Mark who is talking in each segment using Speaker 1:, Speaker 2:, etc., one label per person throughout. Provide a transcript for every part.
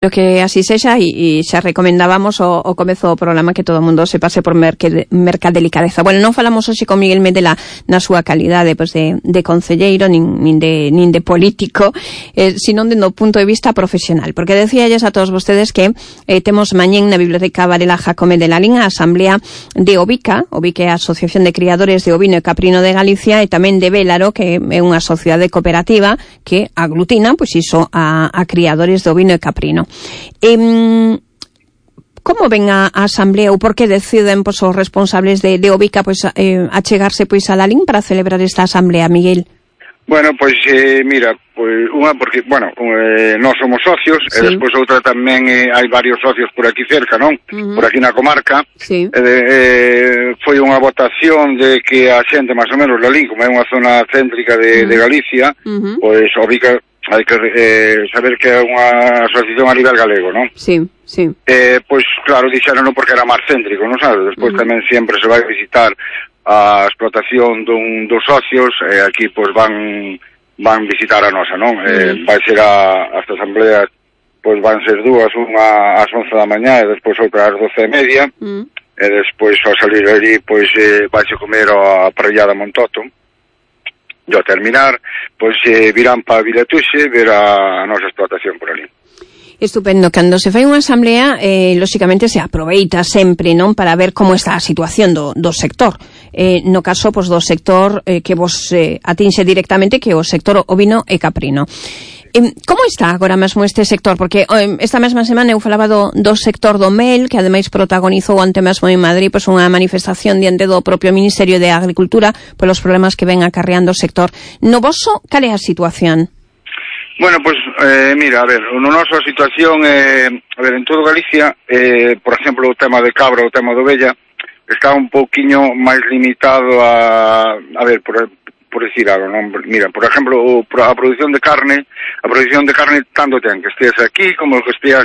Speaker 1: Pero que así sexa e xa recomendábamos o comezo do programa que todo o mundo se pase por mercadelicadeza. Bueno, non falamos hoxe con Miguel Medela na súa calidade pois de concelleiro nin de político, sino do punto de vista profesional, porque decíalles a todos vostedes que temos mañén na Biblioteca Varela Jacome de Lalín a asamblea de OVICA, OVICA é a Asociación de Criadores de Ovino e Caprino de Galicia, e tamén de Vélaro, que é unha sociedade cooperativa que aglutina pois iso a criadores de ovino e caprino. Como ven a asamblea ou por que deciden pois, os responsables de OVICA pois, achegarse pois, a Lalín para celebrar esta asamblea, Miguel?
Speaker 2: Bueno, pois mira, pois unha porque, bueno, nós somos socios, sí. E despois outra tamén hai varios socios por aquí cerca, non? Por aquí na comarca.
Speaker 1: Sí.
Speaker 2: Foi unha votación de que a xente, máis ou menos, Lalín, como é unha zona céntrica de Galicia, pois OVICA hai que saber que é unha asociación a nivel galego, non?
Speaker 1: Sí, sí.
Speaker 2: Pois, claro, dixeron porque era máis céntrico, non sabes? Despois tamén sempre se vai visitar a explotación dos socios, aquí, pois, van visitar a nosa, non? Vai ser esta asamblea, pois, van ser dúas, unha ás 11 da mañá e despois outra ás 12:30, e despois, ao salir ali, pois, vaise comer a parrillada Montoto. E ao terminar, pois virán para Viletuxe ver a nosa explotación por ali.
Speaker 1: Estupendo. Cando se fai unha asamblea, lóxicamente se aproveita sempre, non, para ver como está a situación do sector. No caso, pois, do sector que vos atinxe directamente, que é o sector ovino e caprino. Como está agora mesmo este sector? Porque esta mesma semana eu falaba do sector do mel, que ademais protagonizou ante mesmo en Madrid pois unha manifestación diante do propio Ministerio de Agricultura polos problemas que ven acarreando o sector. No voso, cal é a situación?
Speaker 2: Bueno, pois, mira, a ver, no noso a situación, a ver, en todo Galicia, por exemplo, o tema de cabra, o tema de ovella, está un pouquiño máis limitado a ver, por decir algo, non? Mira, por exemplo, a produción de carne tanto ten que estés aquí, como que estés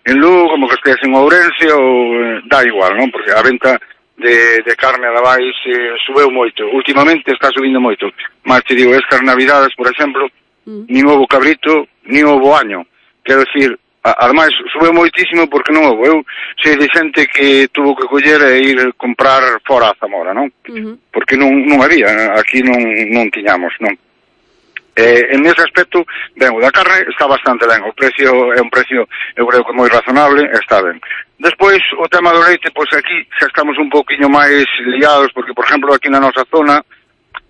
Speaker 2: en Lugo, como que estés en Ourense, ou da igual, non? Porque a venta de carne a Davais subeu moito. Últimamente está subindo moito. Mas te digo, estas navidades, por exemplo, nin houbo cabrito, nin houbo año. Quero decir, ademais, subeu moitísimo porque non houbo. Eu sei de xente que tuvo que coller e ir comprar fora a Zamora, non? Porque non había, aquí non tiñamos, non? En ese aspecto, ben, o da carne está bastante ben, o precio é un precio, eu creo que moi razonable, está ben. Despois, o tema do leite, pois aquí xa estamos un pouquiño máis liados, porque, por exemplo, aquí na nosa zona,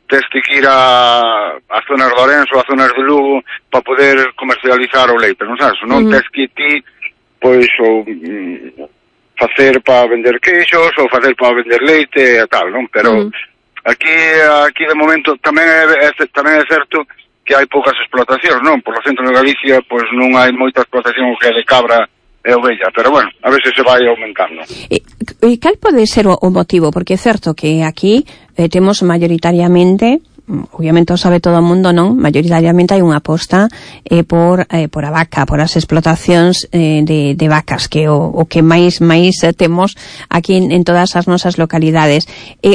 Speaker 2: tens que ir a zonas de Ourense ou a zonas de Lugo para poder comercializar o leite, non sabes? Non tens que ti, pois, ou facer para vender queixos ou facer para vender leite e tal, non? Pero aquí de momento tamén é certo que hai poucas explotacións, non? Por o centro de Galicia, pois non hai moita explotación que é de cabra e ovella, pero bueno, a ver se vai aumentando.
Speaker 1: E cal pode ser o motivo? Porque é certo que aquí temos mayoritariamente, obviamente o sabe todo o mundo, non? Mayoritariamente hai unha aposta por a vaca, por as explotacións de vacas, que o que máis temos aquí en todas as nosas localidades.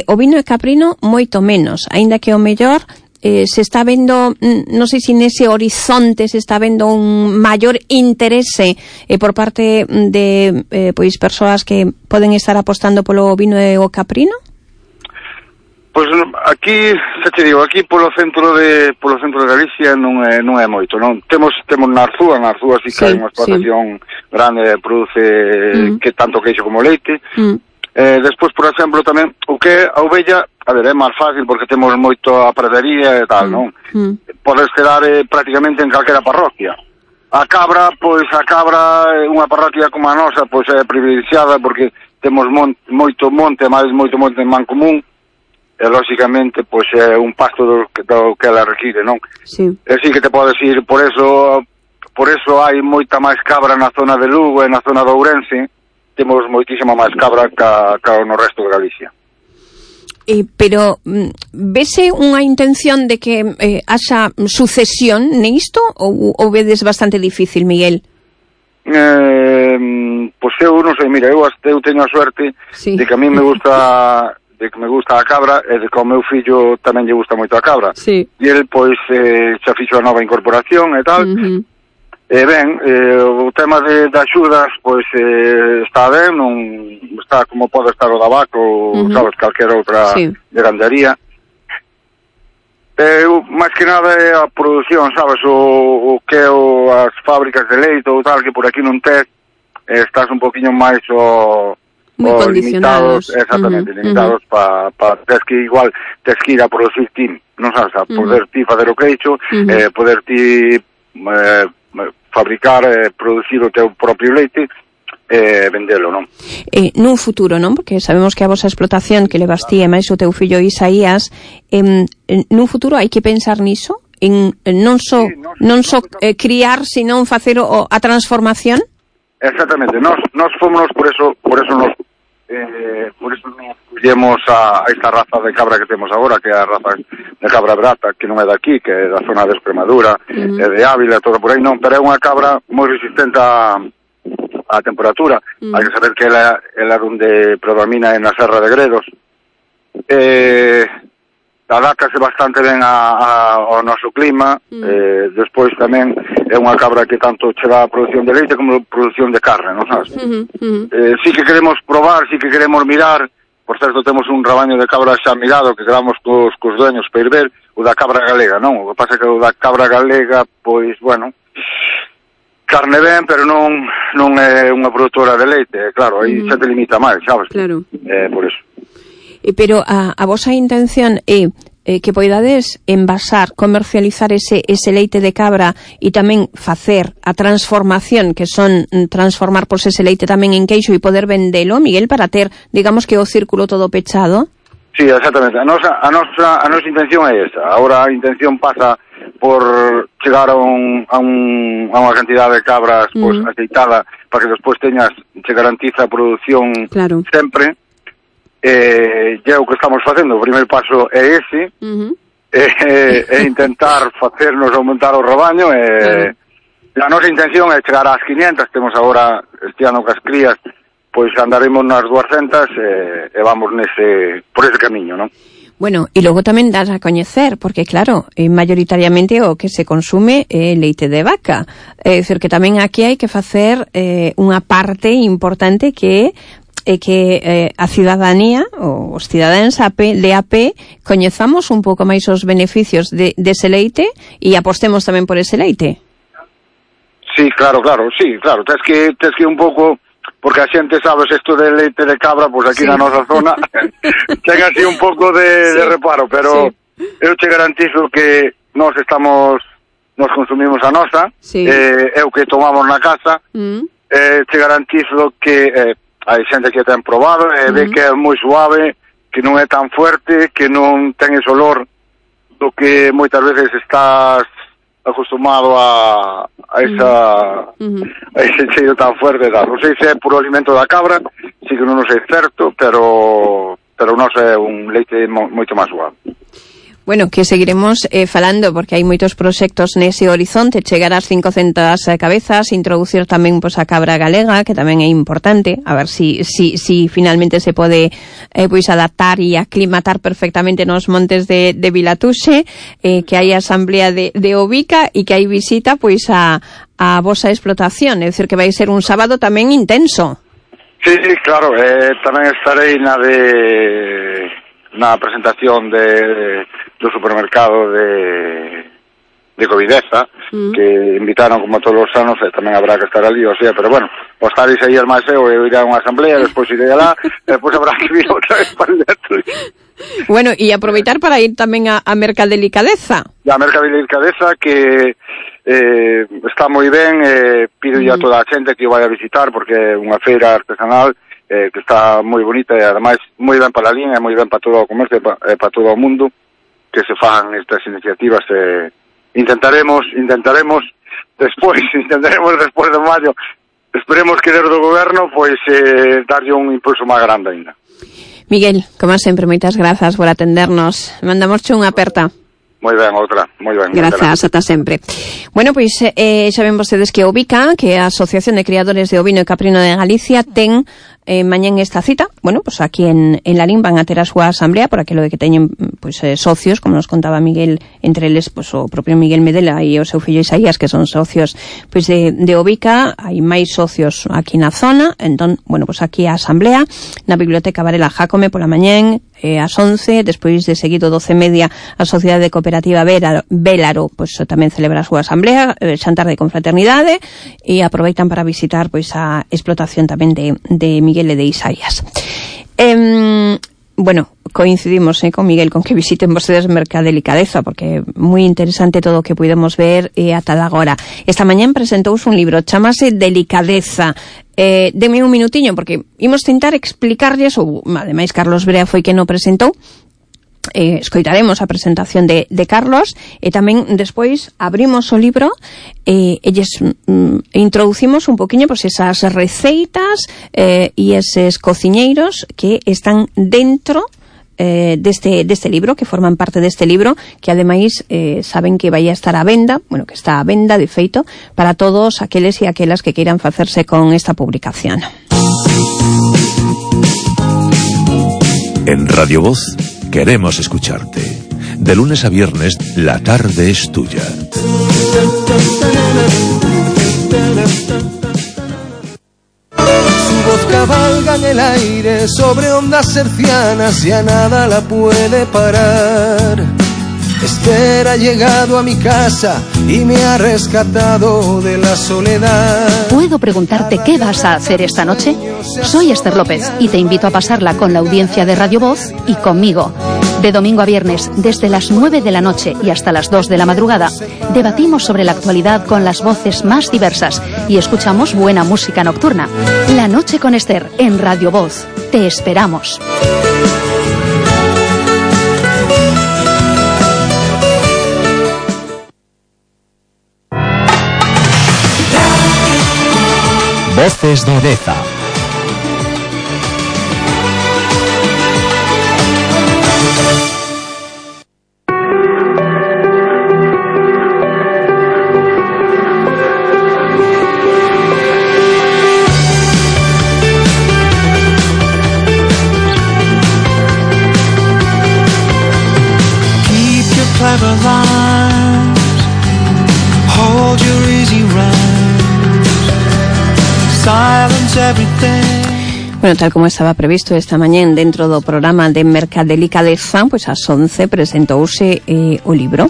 Speaker 1: O vino e caprino moito menos, aínda que o mellor se está vendo, non sei se nese horizonte se está vendo un maior interese por parte de pois persoas que poden estar apostando polo vino e o caprino?
Speaker 2: Pois aquí, xa te digo, aquí polo centro de Galicia non é moito, non? Temos na Arzúa sí que hai unha explotación grande, produce que tanto queixo como leite. Despois, por exemplo, tamén o que a ovella, a ver, é máis fácil porque temos moito a pradería e tal, non? Podes quedar prácticamente en calquera parroquia. A cabra, é unha parroquia como a nosa, pois é privilexiada porque temos moito monte en Mancomún, e lógicamente pois é un pasto do que ela require, non?
Speaker 1: Sí.
Speaker 2: E así que te podes ir, por eso hai moita máis cabra na zona de Lugo e na zona de Ourense. Temos moitísima máis cabra que no resto de Galicia.
Speaker 1: Pero vese unha intención de que haxa sucesión nisto ou vedes bastante difícil, Miguel?
Speaker 2: Pois eu non sei, mira, eu teño a suerte de que a mí me gusta a cabra e de que ao meu fillo tamén lle gusta moito a cabra. E el, pois, xa fixo a nova incorporación e tal. O tema de axudas, pois está ben, non está como pode estar o da vaca ou, sabes, calquera outra de gandaría. Máis que nada é a produción, sabes, o que é as fábricas de leite ou tal, que por aquí non tes, estás un poquinho máis
Speaker 1: moi condicionados.
Speaker 2: Limitados, exactamente, limitados para tes que igual tes que ir a producir ti, non sabes, a poder ti fazer o queixo, poder ti fabricar, producir o teu propio leite, vendelo, non?
Speaker 1: Nun futuro, non? Porque sabemos que a vosa explotación que levas ti e máis o teu fillo Isaías, nun futuro hai que pensar niso? En non só criar, senón facer a transformación?
Speaker 2: Exactamente, nós fomos por eso nos collemos a esta raza de cabra que temos agora, que é a raza de cabra brata, que non é daqui, que é da zona de Extremadura, de Ávila, todo por aí, non, pero é unha cabra moi resistente a temperatura. Hai que saber que ela onde predomina é na Serra de Gredos. Adáptase bastante ben ao noso clima, despois tamén é unha cabra que tanto che dá a produción de leite como a produción de carne, non sabes? Sí que queremos probar, sí que queremos mirar, por certo temos un rabaño de cabra xa mirado que quedamos cos dueños para ir ver, o da cabra galega, non? O que pasa é que o da cabra galega, pois, bueno, carne ben, pero non é unha produtora de leite, claro, aí xa te limita máis, sabes?
Speaker 1: Claro.
Speaker 2: Por eso.
Speaker 1: Pero a vosa intención é que poidades envasar, comercializar ese leite de cabra e tamén facer a transformación, que son transformar ese leite tamén en queixo e poder vendelo, Miguel, para ter, digamos que o círculo todo pechado?
Speaker 2: Sí, exactamente. A nosa intención é esa. Ahora a intención pasa por chegar a unha cantidad de cabras pues, aceitada para que despois se garantiza a produción sempre. É o que estamos facendo. O primeiro paso é ese, é intentar facernos aumentar o rebaño. A nosa intención é chegar ás 500, temos agora este ano cas crías, pois andaremos nas 200 e vamos por ese camiño, non?
Speaker 1: Bueno, e logo tamén das a coñecer, porque claro, mayoritariamente o que se consume é leite de vaca. É dicir, que tamén aquí hai que facer unha parte importante que a cidadanía, os cidadáns de AP, coñezamos un pouco máis os beneficios dese leite e apostemos tamén por ese leite.
Speaker 2: Sí, claro, tens que un pouco, porque a xente sabes isto de leite de cabra, pois aquí na nosa zona ten así un pouco de reparo, pero eu te garantizo que nos consumimos a nosa, é o que tomamos na casa, te garantizo que hai xente que ten probado e ve que é moi suave, que non é tan fuerte, que non ten ese olor do que moitas veces estás acostumado a ese cheiro tan fuerte. Non sei se é puro alimento da cabra, sí que non sei certo, pero non é un leite moito máis suave.
Speaker 1: Bueno, que seguiremos falando, porque hai moitos proxectos nese horizonte, chegar ás 500 cabezas, introducir tamén a cabra galega, que tamén é importante, a ver si finalmente se pode adaptar e aclimatar perfectamente nos montes de Vilatuxe, que hai asamblea de Ovica e que hai visita a vosa explotación, é dicir, que vai ser un sábado tamén intenso.
Speaker 2: Sí, claro, tamén estarei na presentación do supermercado de Covideza, que invitaron como todos os anos, e tamén habrá que estar ali, o sea, pero bueno, o estar aí máis eu iré a unha asamblea, despois iré alá, despois habrá que vir outra vez para dentro.
Speaker 1: Bueno, e aproveitar para ir tamén a Mercadelicadeza. A
Speaker 2: Mercadelicadeza, que está moi ben, pido a toda a xente que o vai a visitar, porque é unha feira artesanal que está moi bonita e ademais moi ben para a línea, moi ben para todo o comercio e para todo o mundo, que se fan estas iniciativas. Intentaremos despois de maio, esperemos que desde o goberno pois darlle un impulso máis grande ainda.
Speaker 1: Miguel, como sempre, moitas grazas por atendernos. Mandamosche unha aperta.
Speaker 2: Moi ben, outra, moi ben.
Speaker 1: Grazas, ata sempre. Bueno, pois xa ven vostedes que OVICA, que é a Asociación de Criadores de Ovino e Caprino de Galicia, ten mañán esta cita. Bueno, pues aquí en Lalín van a ter a súa asamblea por aquilo de que teñen pues socios, como nos contaba Miguel, entre eles pues o propio Miguel Medela e o seu fillo Isaías, que son socios pues de OVICA. Hai máis socios aquí na zona. Entón, bueno, pues aquí a asamblea na Biblioteca Varela Jácome pola mañán ás 11, despois de seguido 12:30 a Sociedade Cooperativa Vélaro pues tamén celebra a súa asamblea, xantar de confraternidade, e aproveitan para visitar pois a explotación tamén de Miguel e de Isaías. Bueno, coincidimos con Miguel con que visiten vostedes Mercadelicadeza, porque é moi interesante todo o que pudemos ver ata agora. Esta mañán presentouse un libro, chamase Delicadeza. Deme un minutiño, porque imos tentar explicarlles, ou ademais Carlos Brea foi quen o presentou. Escoitaremos a presentación de Carlos, e tamén despois abrimos o libro e introducimos un poquinho pues, esas receitas e eses cociñeiros que están dentro deste libro, que forman parte deste libro, que ademais saben que vai a estar a venda, bueno, que está a venda de feito para todos aqueles e aquelas que queiran facerse con esta publicación.
Speaker 3: En Radio Voz queremos escucharte. De lunes a viernes, la tarde es tuya.
Speaker 4: Su voz cabalga en el aire sobre ondas hercianas y a nada la puede parar. Esther ha llegado a mi casa y me ha rescatado de la soledad.
Speaker 5: ¿Puedo preguntarte qué vas a hacer esta noche? Soy Esther López y te invito a pasarla con la audiencia de Radio Voz y conmigo. De domingo a viernes, desde las 9 de la noche y hasta las 2 de la madrugada, debatimos sobre la actualidad con las voces más diversas y escuchamos buena música nocturna. La noche con Esther en Radio Voz. Te esperamos.
Speaker 6: Voces de Deza.
Speaker 4: Keep your clever lines, hold your easy rhyme.
Speaker 1: Bueno, tal como estaba previsto esta mañán dentro do programa de Mercadelicadeza, pues ás 11 presentouse o libro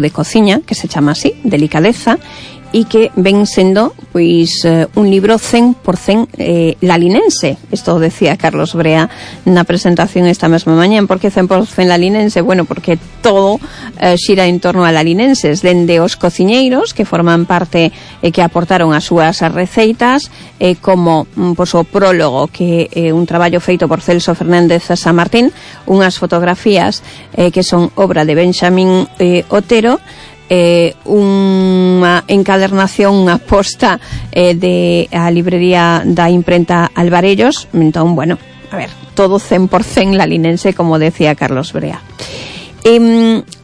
Speaker 1: de cociña, que se chama así, Delicadeza, e que ven sendo pois un libro 100% lalinense. Isto decía Carlos Brea na presentación esta mesma mañán. Por que 100% lalinense? Bueno, porque todo xira en torno a lalinenses, dende os cociñeiros que forman parte e que aportaron as súas receitas, como pois, o prólogo, que é un traballo feito por Celso Fernández San Martín, unhas fotografías que son obra de Benxamín Otero, unha encadernación, unha posta de a librería da imprenta Alvarellos. Entón, bueno, a ver, todo 100% lalinense, como decía Carlos Brea.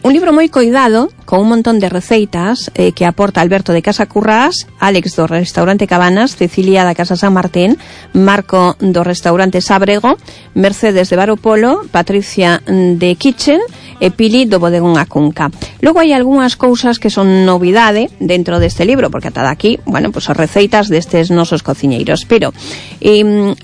Speaker 1: Un libro moi coidado, con un montón de receitas que aporta Alberto de Casa Currás, Alex do restaurante Cabanas, Cecilia da Casa San Martín, Marco do restaurante Sábrego, Mercedes de Baropolo, Patricia de Kitchen e Pili do bodegón A Cunca. Logo hai algunhas cousas que son novidade dentro deste libro, porque ata daqui, bueno, pues as receitas destes nosos cociñeiros, pero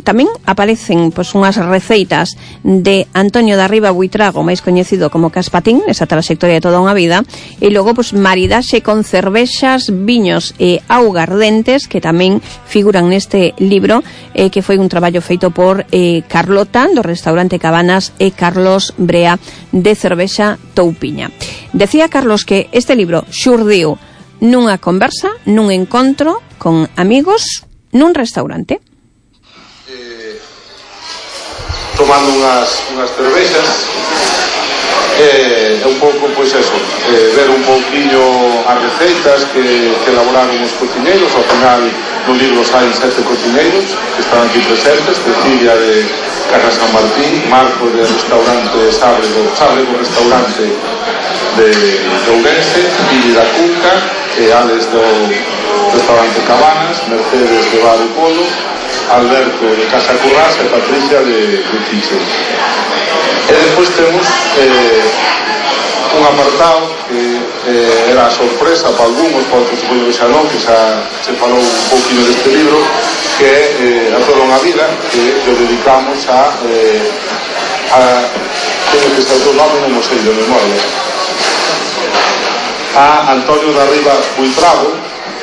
Speaker 1: tamén aparecen pues unhas receitas de Antonio da Riba Buitrago, máis coñecido como Caspatín, esa trayectoria de toda unha vida, e logo pues maridaxe con cervexas, viños e augardentes, que tamén figuran neste libro, que foi un traballo feito por Carlota do restaurante Cabanas e Carlos Brea de Cervexa Toupiña. Decía Carlos que este libro xurdiu nunha conversa, nun encontro con amigos nun restaurante.
Speaker 7: Tomando unhas cervexas, un pouco, pois eso, ver un pouquinho as receitas que elaboraron os cociñeiros. Ao final no libro saen 7 cociñeiros que están aquí presentes: Cecilia de Casa San Martín, Marco de restaurante Sábrego restaurante de Ourense, Pili da Cunca, Alex do restaurante Cabanas, Mercedes de Bar e Polo, Alberto de Casa Currás e Patricia de Chiche. E despois temos un apartado que era a sorpresa para algúns, para outros supoño que xa non, que xa se falou un pouquinho deste libro, que é A toda unha vida, que lo dedicamos a teño que ser o nome, non sei de memoria, a Antonio da Riva Buitrago,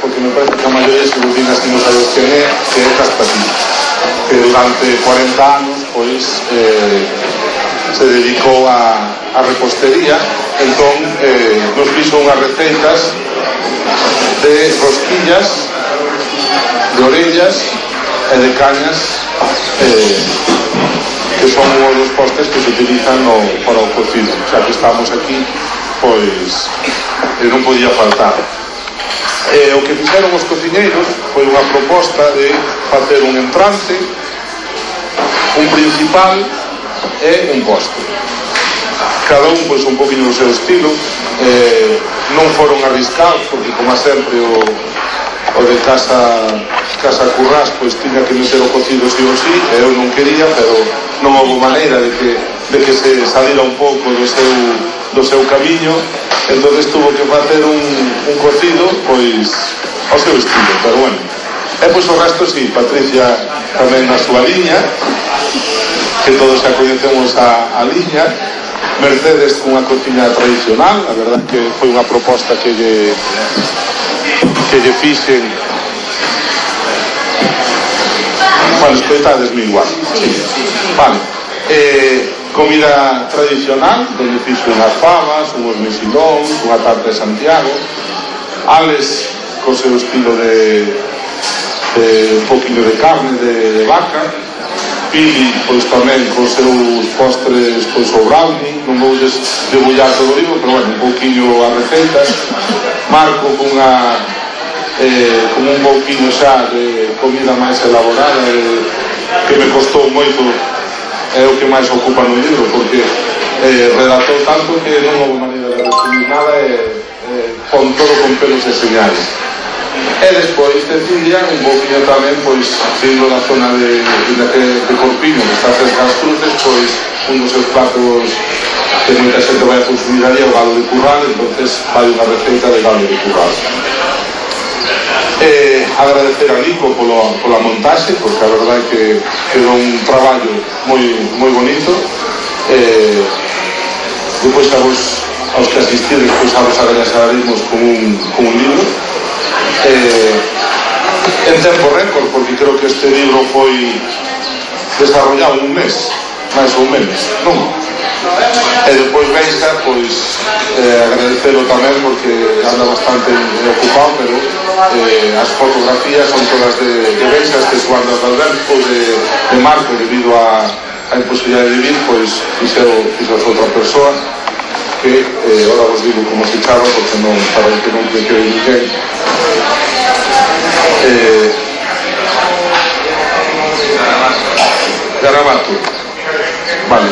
Speaker 7: porque me parece que a maioría se vos así non sabes quen é, que é Castatí, que durante 40 anos pois se dedicou a repostería. Entón nos fixo unhas receitas de rosquillas, de orellas e de cañas, que son os dos postres que se utilizan para o cocido. Xa que estamos aquí, pois non podía faltar. O que fixeron os cociñeiros foi unha proposta de facer un entrante, un principal e un postre, cada un pois un poquinho do seu estilo. Non foron arriscados, porque como sempre o de Casa Currás pois tiña que meter o cocido sí ou sí, e eu non quería, pero non houve maneira de que se salira un pouco do seu camiño. Entonces tuvo que facer un cocido pois ao seu estilo, pero bueno. E pois o resto sí, Patricia tamén na súa liña, que todos xa coñecemos a liña. Mercedes cunha cociña tradicional, a verdad que foi unha proposta que lle fixen. Bueno, escoitadesme igual. Sí. Vale. Comida tradicional, donde fixo unhas fabas, unhos mexilóns, unha tarta de Santiago. Alex co seu estilo de un poquinho de carne de vaca. Pili, pois tamén con seus postres, pois o brownie, non vou debullar todo o libro, pero bueno, un pouquinho as receitas. Marco con un pouquinho xa de comida máis elaborada, que me costou moito, é o que máis ocupa no libro, porque redactou tanto que non houve maneira de resumir nada, pon todo con pelos e señales. E despois Cecilia, un pouquinho tamén, pois, sendo da zona de Corpiño, que está cerca das Cruces, pois, un dos seus platos que moita xente vai a consumir ali é o galo de curral, entonces vai unha receita de galo de curral. Agradecer a Nico pola montaxe, porque a verdade é que quedou un traballo moi bonito. Depois aos que asistides, pois a vos agradecemos con un libro. En tempo récord, porque creo que este libro foi desarrollado en un mes, máis ou menos, non? E depois Beixa, pois agradecelo tamén, porque anda bastante ocupado, pero as fotografías son todas de Beixa, este Suardas de Alberto, de Marco, debido a imposibilidade de vir, pois fixo outra persoa, que ahora vos digo como se chava, porque non saben que non que ninguén. Garabato, vale.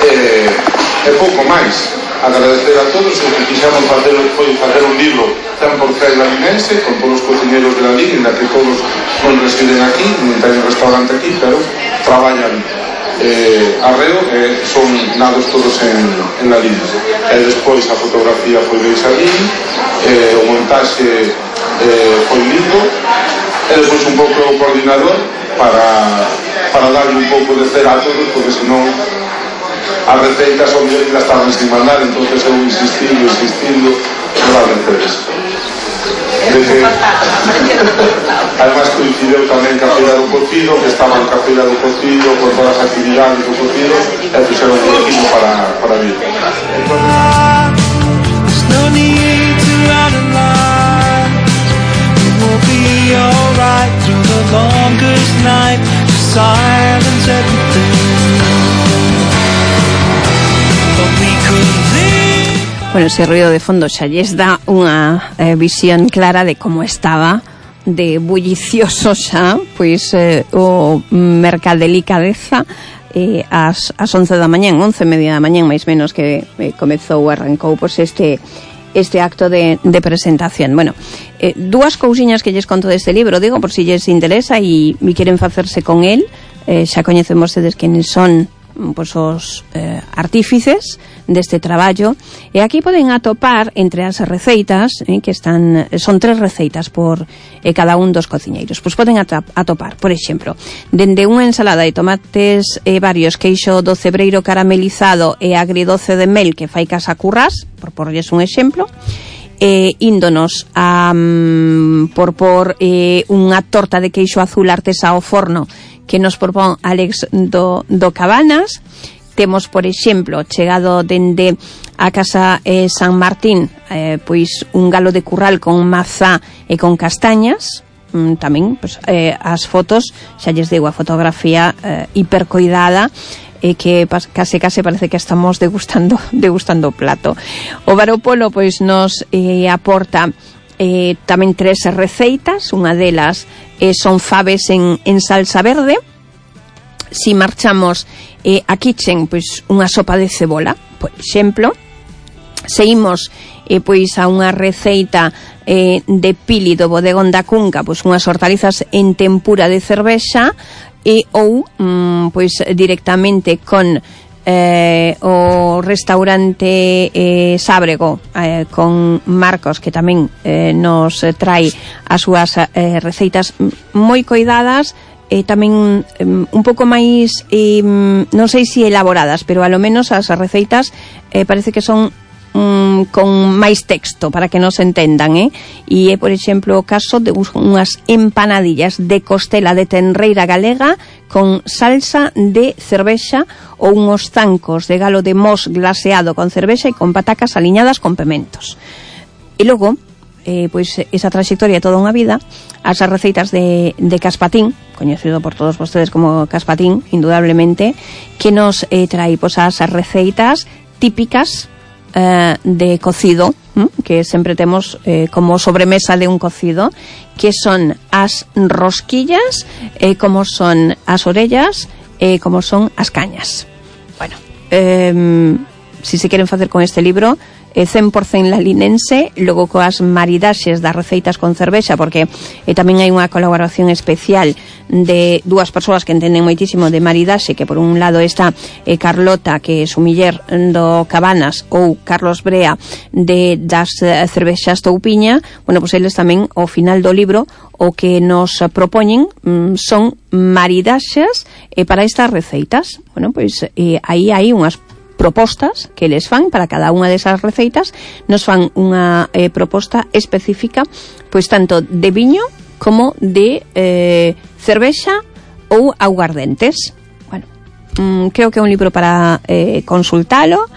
Speaker 7: E pouco máis. Agradecer a todos. O que quixamos facer foi facer un libro 100% lalinense, con todos os cociñeros de la línea, que todos non residen aquí, non teñen restaurante aquí, pero traballan arreo, son nados todos en la línea. E despois a fotografía foi de Isalín, o montaxe foi lindo, e despois un pouco o coordinador para darle un pouco de cera a todos, porque senón as receitas son bien que estaban sin mandar, entonces eu insistindo para Mercedes. Además coincideu tamén que a feira do cocido, que estaba en feira do cocido con todas as actividades do cocido, e fixeron un equipo para vir.
Speaker 1: Bueno, ese ruido de fondo xa lles dá unha visión clara de como estaba de bullicioso xa, pois o Mercadelicadeza ás 11 da mañán, 11:30 da mañán máis menos que arrancou pois este acto de presentación. Bueno, dúas cousiñas que lles conto deste libro, digo, por si lles interesa e queren facerse con el. Xa coñecen vostedes quenes son pois os artífices deste traballo, e aquí poden atopar entre as receitas que son 3 receitas por cada un dos cociñeiros. Pois poden atopar, por exemplo, dende unha ensalada de tomates varios, queixo do cebreiro caramelizado e agridoce de mel que fai casa currás, por porlles un exemplo, índonos por unha torta de queixo azul artesa ao forno que nos propón Alex do Cabanas. Temos, por exemplo, chegado dende a casa San Martín, pois un galo de curral con mazá e con castañas. Tamén, pois, as fotos, xa lles digo, a fotografía hipercoidada, que case parece que estamos degustando o plato. O Varopolo pois nos aporta tamén 3 receitas. Unha delas son faves en salsa verde. Si marchamos a Kitchen, pois unha sopa de cebola, por exemplo. Seguimos pois a unha receita de Pili do bodegón da Cunca, pois unhas hortalizas en tempura de cervexa, ou pois directamente con o restaurante Sábrego, con Marcos, que tamén nos trae as súas receitas moi coidadas, tamén un pouco máis non sei se elaboradas, pero a lo menos as receitas parece que son con máis texto para que nos entendan, e por exemplo o caso de unhas empanadillas de costela de tenreira galega con salsa de cervexa, ou unhos zancos de galo de mos glaseado con cervexa e con patacas aliñadas con pementos. E logo pois esa trayectoria toda unha vida, as receitas de Caspatín, coñecido por todos vostedes como Caspatín, indudablemente, que nos trae pois as receitas típicas de cocido, que sempre temos como sobremesa de un cocido, que son as rosquillas, como son as orellas, como son as cañas. Bueno, si se queren facer con este libro, 100% lalinense, logo coas maridaxes das receitas con cervexa, porque tamén hai unha colaboración especial de dúas persoas que entenden moitísimo de maridaxe, que por un lado está Carlota, que é sumiller do Cabanas, ou Carlos Brea das cervexas Toupiña. Bueno, pois eles tamén ao final do libro o que nos propoñen son maridaxes para estas receitas. Bueno, pois aí hai unhas propostas que les fan para cada unha desas receitas. Nos fan unha proposta específica, pois tanto de viño como de cervexa ou aguardentes. Bueno, creo que é un libro para consultalo,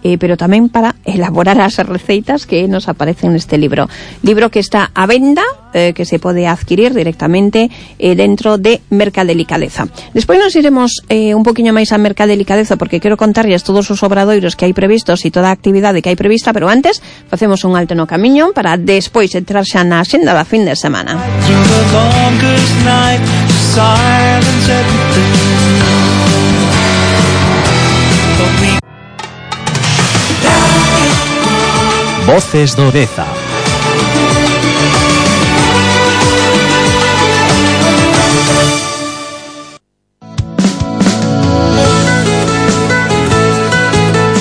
Speaker 1: pero tamén para elaborar as receitas que nos aparecen neste libro que está a venda, que se pode adquirir directamente dentro de Mercadelicadeza. Despois nos iremos un poquinho máis a Mercadelicadeza, porque quero contarlles todos os obradoiros que hai previstos e toda a actividade que hai prevista, pero antes facemos un alto no camiño para despois entrar xa na xenda da fin de semana.
Speaker 6: Voces do Deza.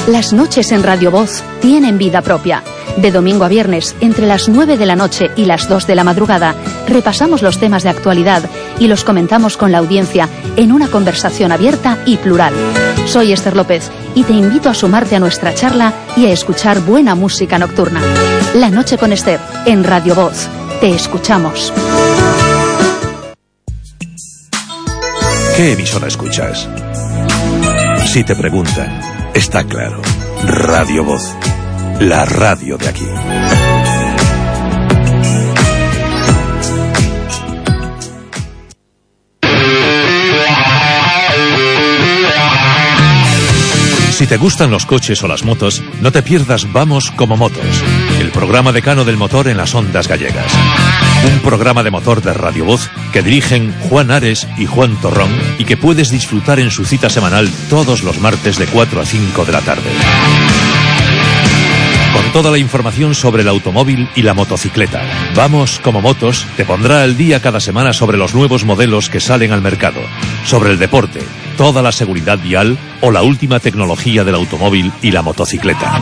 Speaker 5: Las noches en Radio Voz tienen vida propia. De domingo a viernes, entre las 9 de la noche y las 2 de la madrugada, repasamos los temas de actualidad y los comentamos con la audiencia en una conversación abierta y plural. Soy Esther López y te invito a sumarte a nuestra charla y a escuchar buena música nocturna. La noche con Esther, en Radio Voz. Te escuchamos.
Speaker 3: ¿Qué emisora escuchas? Si te preguntan, está claro. Radio Voz. La radio de aquí. Si te gustan los coches o las motos, no te pierdas Vamos como Motos, el programa decano del motor en las ondas gallegas. Un programa de motor de Radio Voz que dirigen Juan Ares y Juan Torrón y que puedes disfrutar en su cita semanal todos los martes de 4 a 5 de la tarde. Con toda la información sobre el automóvil y la motocicleta. Vamos como motos te pondrá al día cada semana sobre los nuevos modelos que salen al mercado, sobre el deporte, toda la seguridad vial o la última tecnología del automóvil y la motocicleta.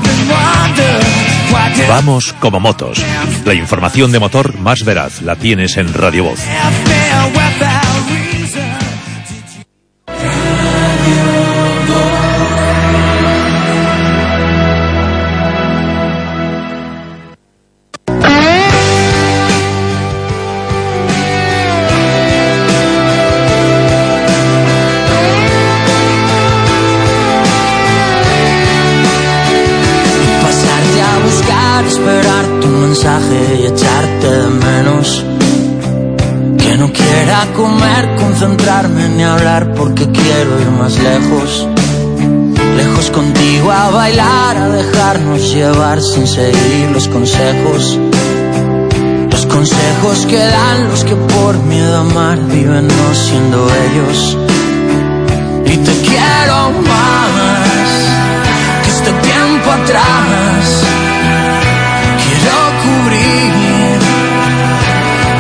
Speaker 3: Vamos como motos. La información de motor más veraz la tienes en Radio Voz.
Speaker 8: Y echarte de menos, que no quiera comer, concentrarme ni hablar porque quiero ir más lejos, lejos contigo a bailar, a dejarnos llevar sin seguir los consejos que dan los que por miedo a amar viven no siendo ellos. Y te quiero más que este tiempo atrás. Cubrir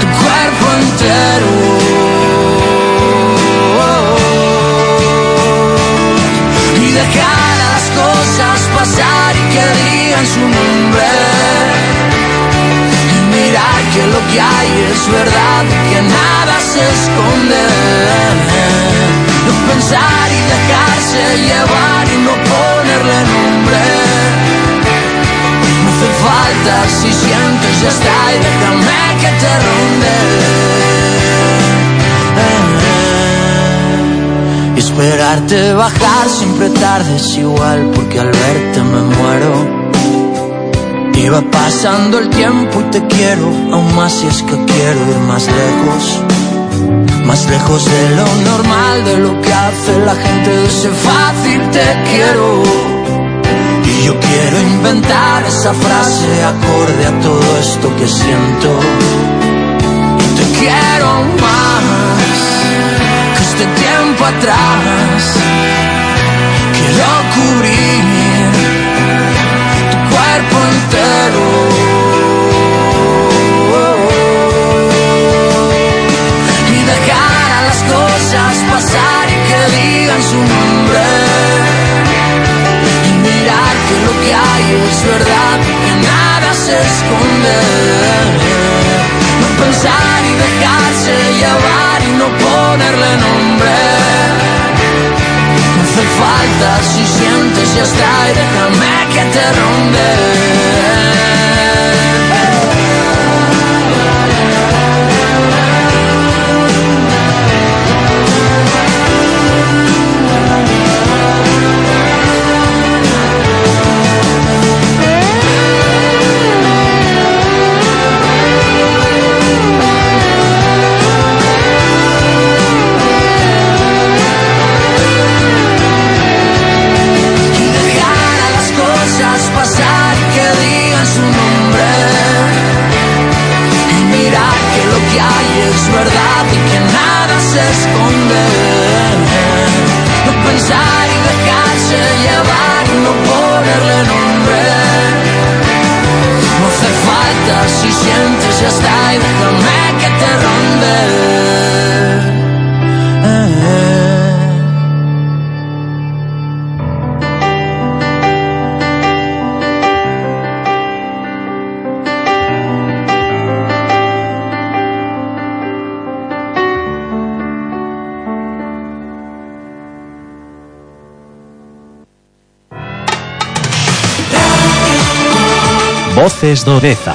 Speaker 8: tu cuerpo entero y dejar a las cosas pasar y que digan su nombre y mirar que lo que hay es verdad y que nada se esconde. No pensar y dejarse llevar y no ponerle nombre. Falta, si sientes ya está y déjame que te ronde. Y esperarte bajar siempre tarde es igual porque al verte me muero. Y va pasando el tiempo y te quiero aún más si es que quiero ir más lejos de lo normal, de lo que hace la gente, de ese fácil te quiero. Y yo quiero inventar esa frase acorde a todo esto que siento. Y te quiero más que este tiempo atrás. Quiero cubrir tu cuerpo entero y dejar a las cosas pasar y que digan su nombre. Que lo que hay es verdad, que nada se esconde. No pensar y dejarse llevar y no ponerle nombre. No hace falta, si sientes ya está y déjame que te ronde. Es verdad y que nada se esconde. No pensar y dejarse llevar y no ponerle nombre. No hace falta, si sientes ya está y déjame que te ronde.
Speaker 6: Voces do Deza.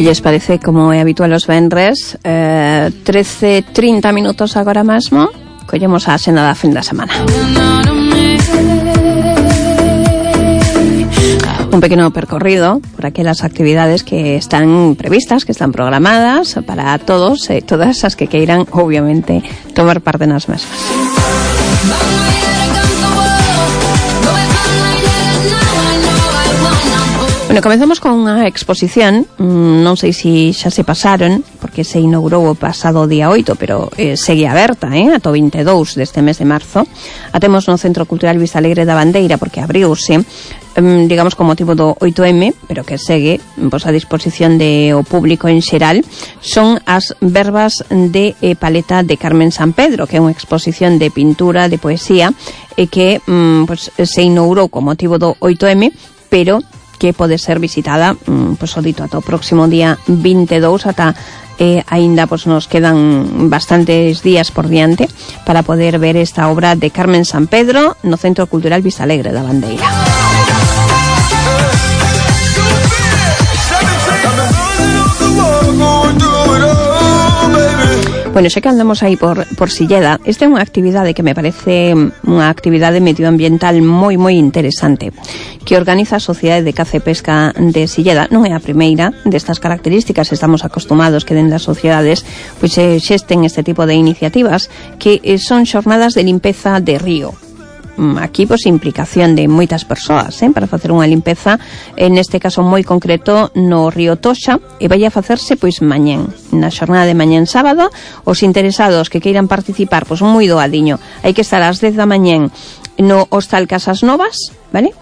Speaker 1: lles parece, como é habitual os venres, 13:30 minutos agora mesmo, collemos a xenda da fin da semana. Un pequeno percorrido por aquelas actividades que están previstas, que están programadas para todos e todas as que queiran, obviamente, tomar parte nas mesmas. Bueno, comezamos con unha exposición, non sei se xa se pasaron, porque se inaugurou o pasado día 8, pero segue aberta, ata o 22 deste mes de marzo. A temos no Centro Cultural Vistalegre da Bandeira, porque abriuse, digamos, con motivo do 8M, pero que segue a disposición de o público en xeral. Son as verbas de paleta de Carmen San Pedro, que é unha exposición de pintura, de poesía, que se inaugurou con motivo do 8M, pero que pode ser visitada, o dito, ata o próximo día 22, ata aínda nos quedan bastantes días por diante para poder ver esta obra de Carmen San Pedro no Centro Cultural Vistalegre da Bandeira. Bueno, xa que andamos aí por Silleda, esta é unha actividade que me parece unha actividade medioambiental moi interesante, que organiza a Sociedade de Caza e Pesca de Silleda. Non é a primeira destas características, estamos acostumados que dentro das sociedades xesten este tipo de iniciativas, que son xornadas de limpeza de río. Aquí, implicación de moitas persoas, para facer unha limpeza, neste caso moi concreto, no río Toxa, e vai a facerse, mañén, na xornada de mañén sábado. Os interesados que queiran participar, moi doadiño, hai que estar ás 10 da mañén no Hostal Casas Novas, vale?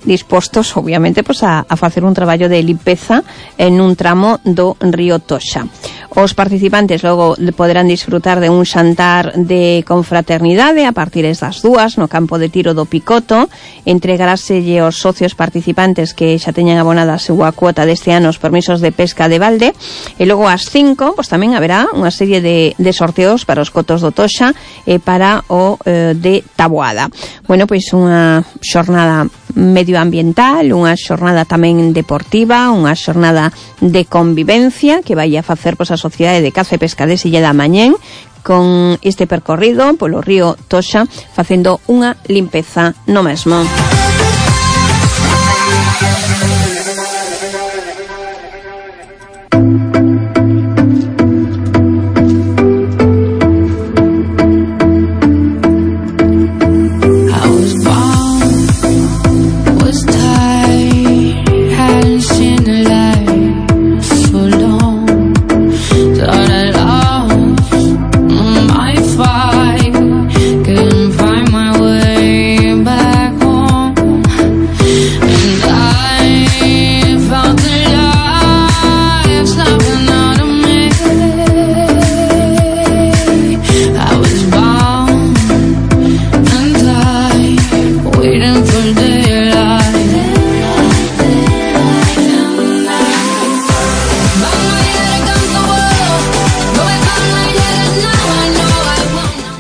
Speaker 1: Dispostos, obviamente, a facer un traballo de limpeza en un tramo do río Toxa. Os participantes logo poderán disfrutar de un xantar de confraternidade a partir das 2 no campo de tiro do Picoto. Entregaráselle aos socios participantes que xa teñan abonada a súa cuota deste ano os permisos de pesca de balde, e logo ás 5 tamén haberá unha serie de sorteos para os cotos do Toxa e para o de Taboada. Bueno, unha xornada medioambiental, unha xornada tamén deportiva, unha xornada de convivencia que vai a facer a Sociedade de Caza e Pesca de Silleda mañén, con este percorrido polo río Toxa, facendo unha limpeza no mesmo.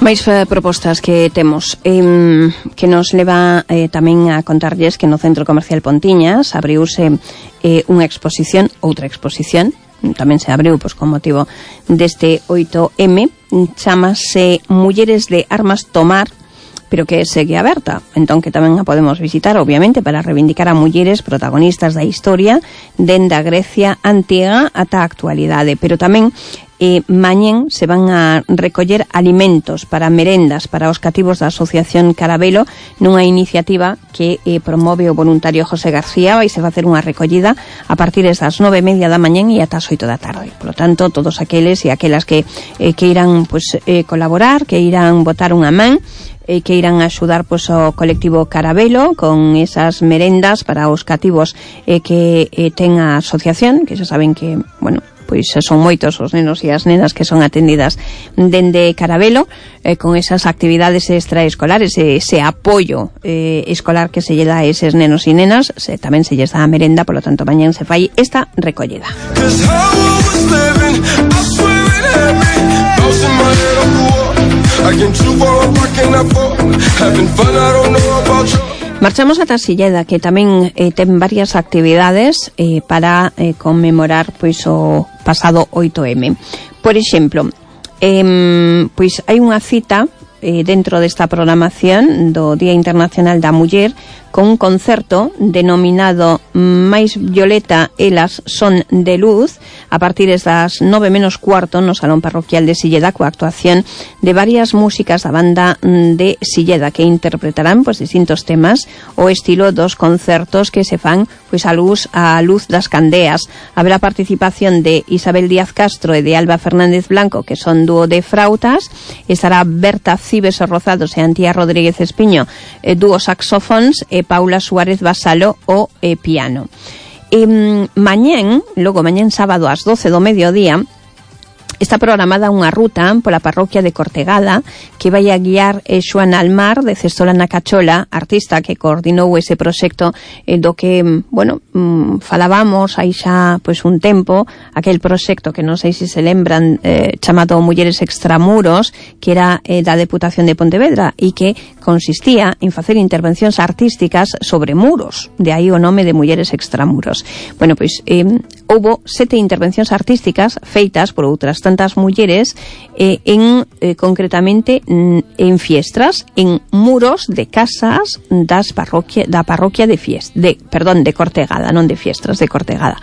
Speaker 1: Máis propostas que temos, que nos leva tamén a contarlles que no Centro Comercial Pontiñas abriuse outra exposición, tamén se abriu con motivo deste 8M, chamase Mulleres de Armas Tomar, pero que segue aberta, entón que tamén a podemos visitar, obviamente, para reivindicar a mulleres protagonistas da historia dende a Grecia antiga ata a actualidade, pero tamén mañén se van a recoller alimentos para merendas para os cativos da Asociación Carabelo, nunha iniciativa que promove o voluntario José García. Vai se facer unha recollida a partir das 9:30 da mañén e ata as 8 da tarde. Por lo tanto, todos aqueles e aquelas que irán colaborar, que irán botar unha man, que irán axudar o colectivo Carabelo con esas merendas para os cativos que ten a asociación, que xa saben que, son moitos os nenos e as nenas que son atendidas dende Carabelo, con esas actividades extraescolares, ese apoio escolar que se lle dá a eses nenos e nenas, tamén se lles dá a merenda, polo tanto mañán se fai esta recollida. Marchamos ata Silleda, que tamén ten varias actividades para conmemorar pois o pasado 8M. Por exemplo, pois hai unha cita dentro desta programación do Día Internacional da Muller con un concerto denominado Mais Violeta, elas son de luz, a partir das 9:15 no Salón Parroquial de Silleda, coa actuación de varias músicas da banda de Silleda que interpretarán pois distintos temas o estilo dos concertos que se fan pois a luz das candeas. Haberá participación de Isabel Díaz Castro e de Alba Fernández Blanco, que son dúo de frautas. Estará Berta Cibes Rozados e Antía Rodríguez Espiño, dúo saxofóns, e Paula Suárez Basalo o piano. Mañén sábado ás 12 do mediodía, está programada unha ruta pola parroquia de Cortegada que vai a guiar Xoana Almar de Cestola na Cachola, artista que coordinou ese proxecto do que, falábamos aí xa pois un tempo, aquel proxecto que non sei se se lembran, chamado Mulleres Extramuros, que era da Deputación de Pontevedra e que consistía en facer intervencións artísticas sobre muros, de aí o nome de Mulleres Extramuros. Bueno, pois houbo 7 intervencións artísticas feitas por outras tantas mulleres concretamente en fiestras, en muros de casas da parroquia de Cortegada, non de Fiestras, de Cortegada.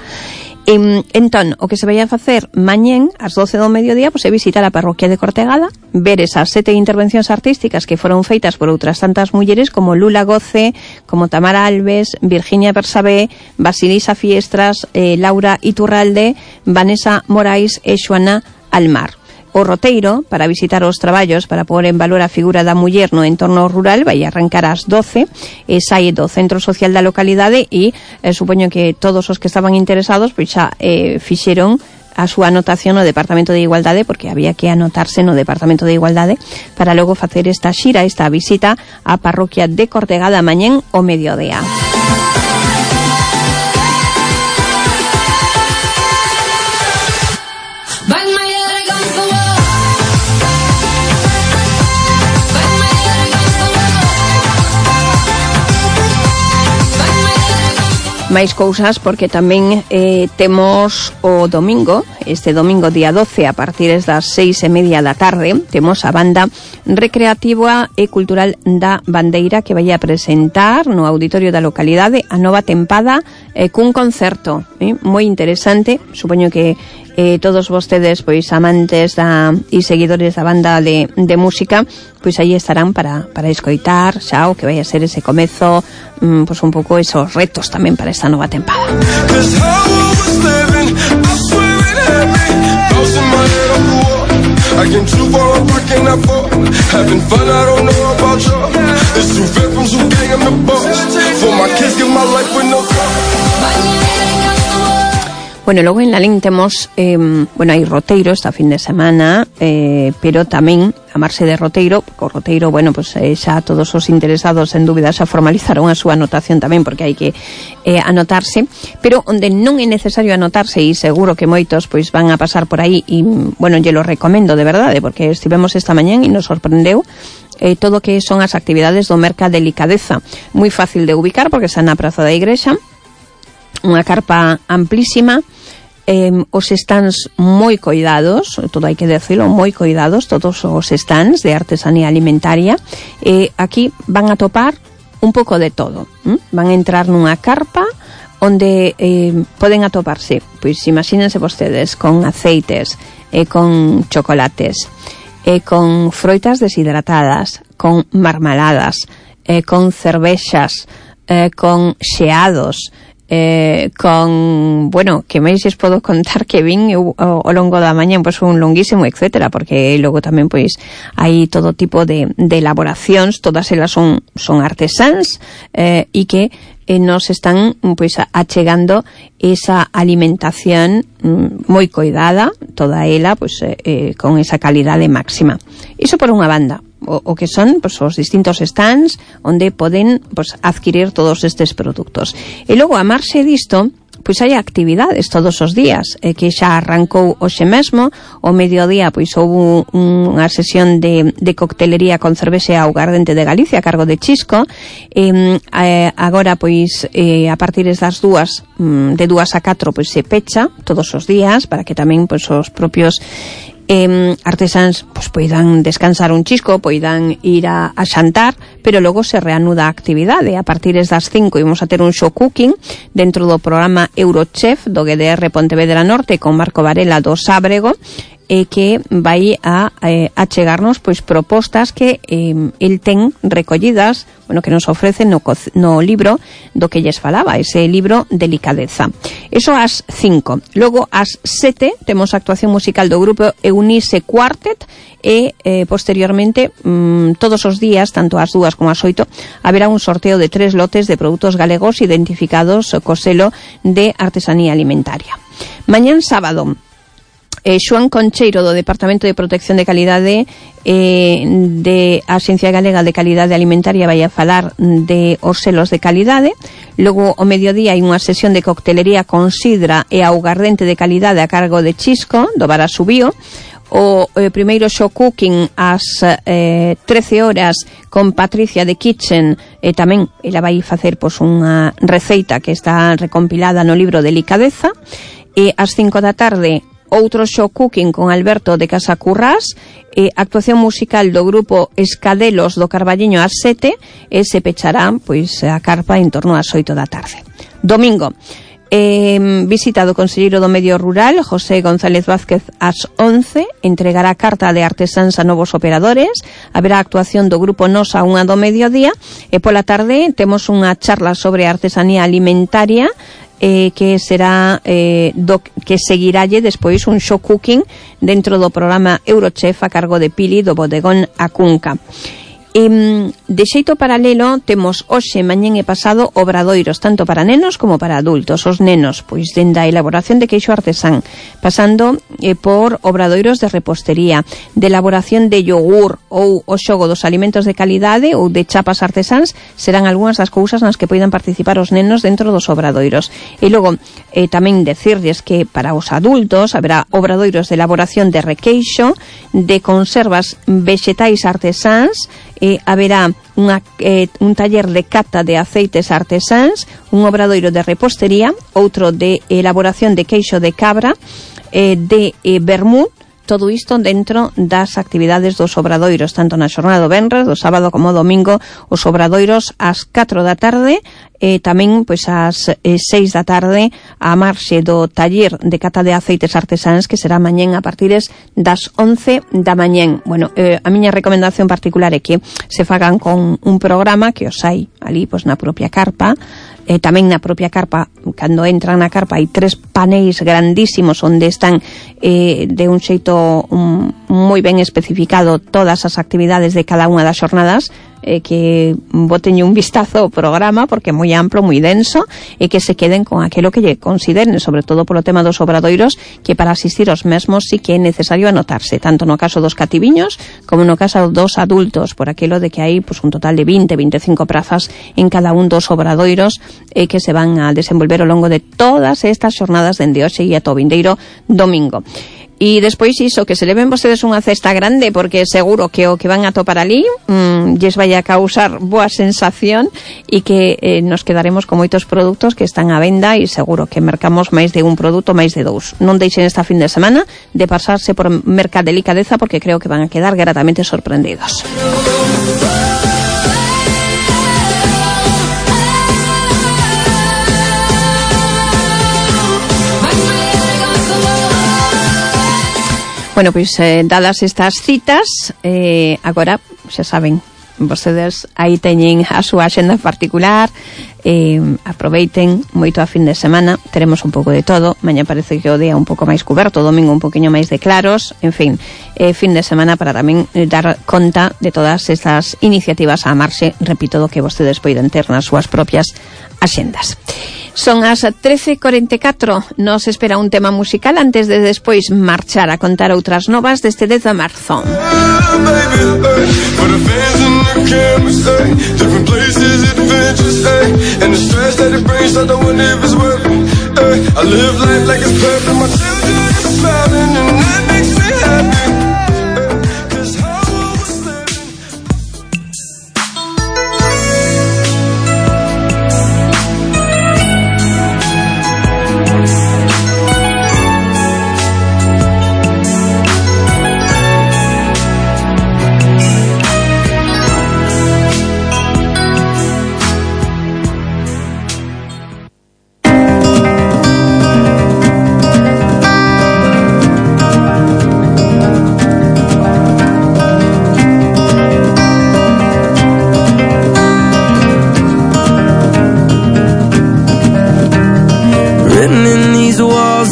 Speaker 1: Entón, o que se vai a facer mañén ás 12 do mediodía pois é visitar a parroquia de Cortegada, ver esas 7 intervencións artísticas que foron feitas por outras tantas mulleres como Lula Goce, como Tamara Alves, Virginia Bersabé, Basilisa Fiestras, Laura Iturralde, Vanessa Morais e Xoana Almar. O roteiro para visitar os traballos para pôr en valor a figura da muller no entorno rural vai arrancar ás 12 e sai do Centro Social da localidade e supoño que todos os que estaban interesados pois xa fixeron a súa anotación no Departamento de Igualdade, porque había que anotarse no Departamento de Igualdade para logo facer esta xira, esta visita á parroquia de Cortegada mañén o mediodía. Máis cousas, porque tamén temos o domingo, este domingo día 12, a partir das 6:30 da tarde, temos a banda recreativa e cultural da Bandeira que vai a presentar no auditorio da localidade a nova tempada cun concerto moi interesante. Supoño que todos vostedes, pois amantes e seguidores da banda de música, pois aí estarán para escoitar xa o que vai a ser ese comezo, pois un pouco esos retos tamén para esta nova tempada. Bueno, logo en Lalín temos, hai roteiro esta fin de semana, pero tamén amarse de roteiro, o roteiro, xa todos os interesados en dúbida xa formalizaron a súa anotación tamén, porque hai que anotarse, pero onde non é necesario anotarse, e seguro que moitos pois van a pasar por aí, e, lle lo recomendo de verdade, porque estivemos esta mañán e nos sorprendeu todo que son as actividades do Merca Delicadeza, moi fácil de ubicar, porque está na Praza da Igrexa, unha carpa amplísima, os stands moi coidados, todo hai que decirlo, moi coidados, todos os stands de artesanía alimentaria, aquí van a topar un pouco de todo, van a entrar nunha carpa onde poden atoparse, pois imagínense vostedes, con aceites, con chocolates, con froitas deshidratadas, con marmaladas, con cervexas, con xeados, con, que máis es podo contar que vin ao longo da mañá, pois un longuísimo, etcétera, porque logo tamén pois hai todo tipo de elaboracións, todas elas son artesáns e que nos están pois achegando esa alimentación moi coidada, toda ela pois con esa calidade máxima. Iso por unha banda. O que son pois, os distintos stands onde poden pois, adquirir todos estes produtos. E logo, a marxe disto, pois hai actividades todos os días, que xa arrancou hoxe mesmo. O mediodía pois houve unha sesión de coctelería con cervexa e augardente de Galicia a cargo de Chisco. Agora pois a partir das 2, de 2 a 4 pois se pecha todos os días para que tamén pois os propios artesáns pois poidan descansar un chisco, poidan ir a xantar, pero logo se reanuda a actividade. A partir das 5 imos a ter un show cooking dentro do programa Eurochef do GDR Pontevedra Norte con Marco Varela do Sábrego, que vai a chegarnos pois propostas que el ten recollidas, bueno, que nos ofrece no libro do que lles falaba, ese libro Delicadeza. Eso ás 5. Logo ás 7 temos a actuación musical do grupo Eunice Quartet e posteriormente todos os días, tanto ás 2 como ás 8, haberá un sorteo de 3 lotes de produtos galegos identificados co selo de artesanía alimentaria. Mañán sábado, Xoán Concheiro do Departamento de Protección de Calidade de Axencia Galega de Calidade Alimentaria vai a falar de os selos de calidade. Logo o mediodía hai unha sesión de coctelería con sidra e augardente de calidade a cargo de Chisco do Bar Asubío. O primeiro show cooking ás 13 horas con Patricia de Kitchen, tamén ela vai facer pois unha receita que está recompilada no libro Delicadeza. E ás 5 da tarde outro show cooking con Alberto de Casa Currás, actuación musical do grupo Escadelos do Carballiño ás 7, e se pechará pois a carpa en torno ás 8 da tarde. Domingo, visita do conselleiro do Medio Rural, José González Vázquez, ás 11, entregará carta de artesáns a novos operadores. Haberá actuación do grupo Nos a 1 do mediodía, e pola tarde temos unha charla sobre artesanía alimentaria, que será que seguiralle despois un show cooking dentro do programa Eurochef a cargo de Pili do bodegón Acunca. De xeito paralelo temos hoxe, mañén e pasado obradoiros tanto para nenos como para adultos. Os nenos, pois dende a elaboración de queixo artesán, pasando por obradoiros de repostería, de elaboración de yogur ou o xogo dos alimentos de calidade ou de chapas artesáns, serán algunhas das cousas nas que poidan participar os nenos dentro dos obradoiros. E logo tamén decirles que para os adultos haberá obradoiros de elaboración de requeixo, de conservas vegetais artesáns, haberá un taller de cata de aceites artesáns, un obradoiro de repostería, outro de elaboración de queixo de cabra, de vermú. Todo isto dentro das actividades dos obradoiros, tanto na xornada do venres, do sábado como do domingo. Os obradoiros ás 4 da tarde, tamén pois ás 6 da tarde a marxe do taller de cata de aceites artesáns, que será mañén a partir das 11 da mañén. Bueno, a miña recomendación particular é que se fagan con un programa que os hai ali pois na propia carpa. Tamén na propia carpa, cando entran na carpa, hai 3 paneis grandísimos onde están de un xeito moi ben especificado todas as actividades de cada unha das xornadas, que boten un vistazo ao programa porque é moi amplo, moi denso, e que se queden con aquilo que lle consideren, sobre todo polo tema dos obradoiros, que para asistir aos mesmos sí que é necesario anotarse, tanto no caso dos cativiños como no caso dos adultos, por aquilo de que hai pues, un total de 20-25 prazas en cada un dos obradoiros que se van a desenvolver ao longo de todas estas xornadas dende hoxe e ata o vindeiro domingo. E despois iso, que se leven vostedes unha cesta grande, porque seguro que o que van a topar ali lles vai a causar boa sensación, e que nos quedaremos con moitos produtos que están á venda, e seguro que mercamos máis de un produto, máis de 2. Non deixen esta fin de semana de pasarse por Mercadelicadeza, porque creo que van a quedar gratamente sorprendidos. Bueno, pois dadas estas citas, agora, xa saben, vostedes aí teñen a súa axenda particular, aproveiten moito a fin de semana, teremos un pouco de todo, mañá parece que o día un pouco máis cuberto, domingo un poquinho máis de claros, en fin, fin de semana para tamén dar conta de todas estas iniciativas a marxe, repito, do que vostedes poden ter nas súas propias axendas. Son as 13:44, nos espera un tema musical antes de despois marchar a contar outras novas deste 10 de marzo.
Speaker 9: And the stress that it brings, I don't wonder if it's worth it. I live life like it's perfect. My children are smiling and that makes me happy. Cause how I was living.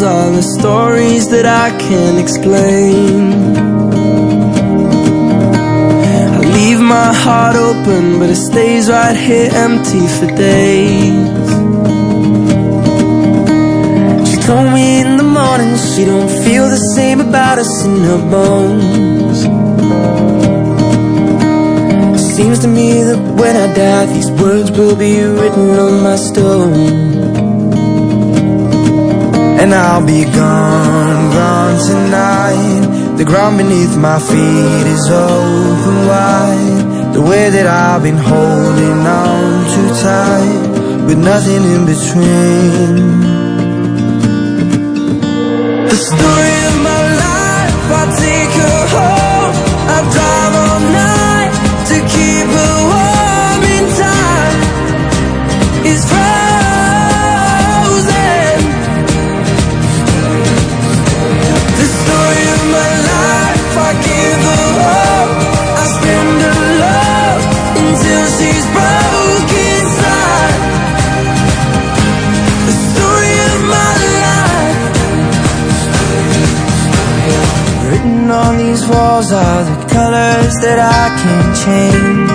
Speaker 8: Are the stories that I can't explain. I leave my heart open, but it stays right here empty for days. She told me in the morning she don't feel the same about us in her bones. It seems to me that when I die, these words will be written on my stone. And I'll be gone, gone tonight. The ground beneath my feet is open wide. The way that I've been holding on too tight, with nothing in between. The story of my life, I take her home. I drive all night to keep her warm in time. It's on these walls are the colors that I can't change.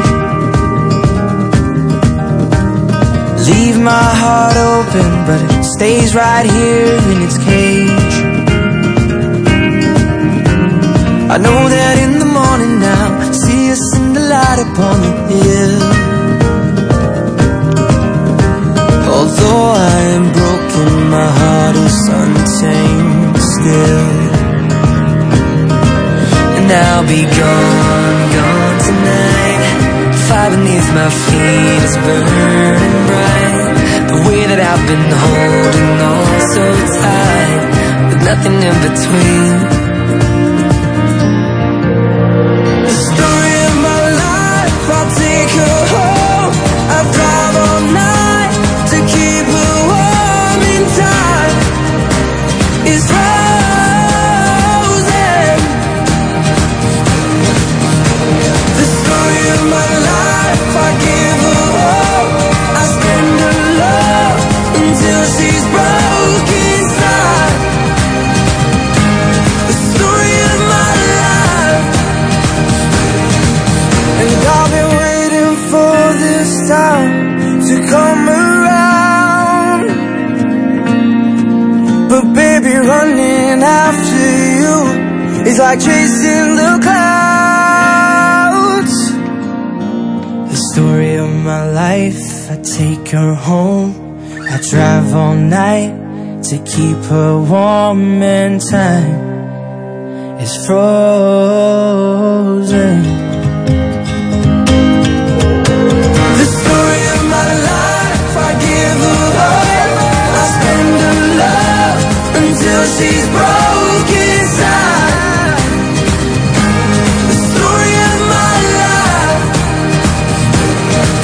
Speaker 8: Leave my heart open, but it stays right here in its cage. I know that in the morning now, see us in the light upon the hill. Although I am broken, my heart is untamed still. And I'll be gone, gone tonight. Fire beneath my feet is burning bright. The way that I've been holding on so tight, with nothing in between. The story of my life, I'll take her home. I'll drive all night to keep her warm in time. It's running after you is like chasing the clouds. The story of my life, I take her home. I drive all night to keep her warm and time is frozen. The story of my life, I give her up. I spend her love until she's broken inside. The story of my life.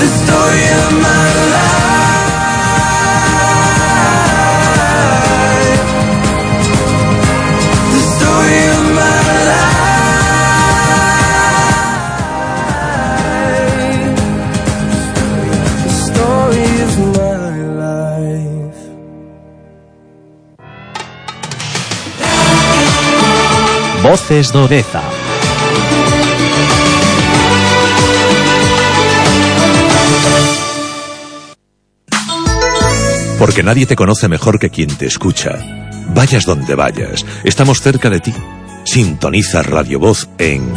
Speaker 8: The story of my life. The story of my life. The story of my life.
Speaker 6: Voces do Deza.
Speaker 3: Porque nadie te conoce mejor que quien te escucha. Vayas donde vayas, estamos cerca de ti. Sintoniza Radio Voz en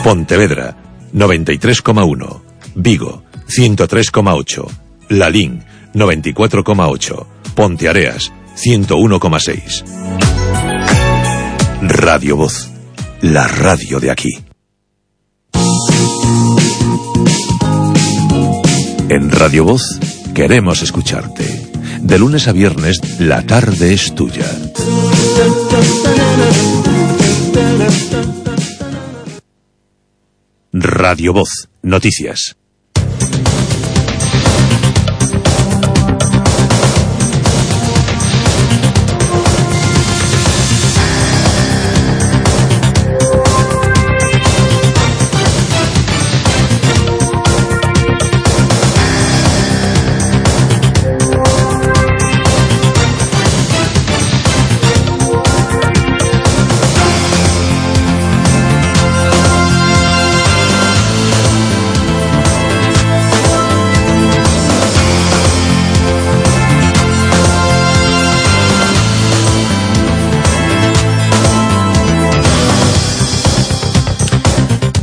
Speaker 3: Pontevedra 93,1, Vigo 103,8, Lalín 94,8, Ponteareas 101,6. Radio Voz, la radio de aquí. En Radio Voz queremos escucharte. De lunes a viernes, la tarde es tuya. Radio Voz, noticias.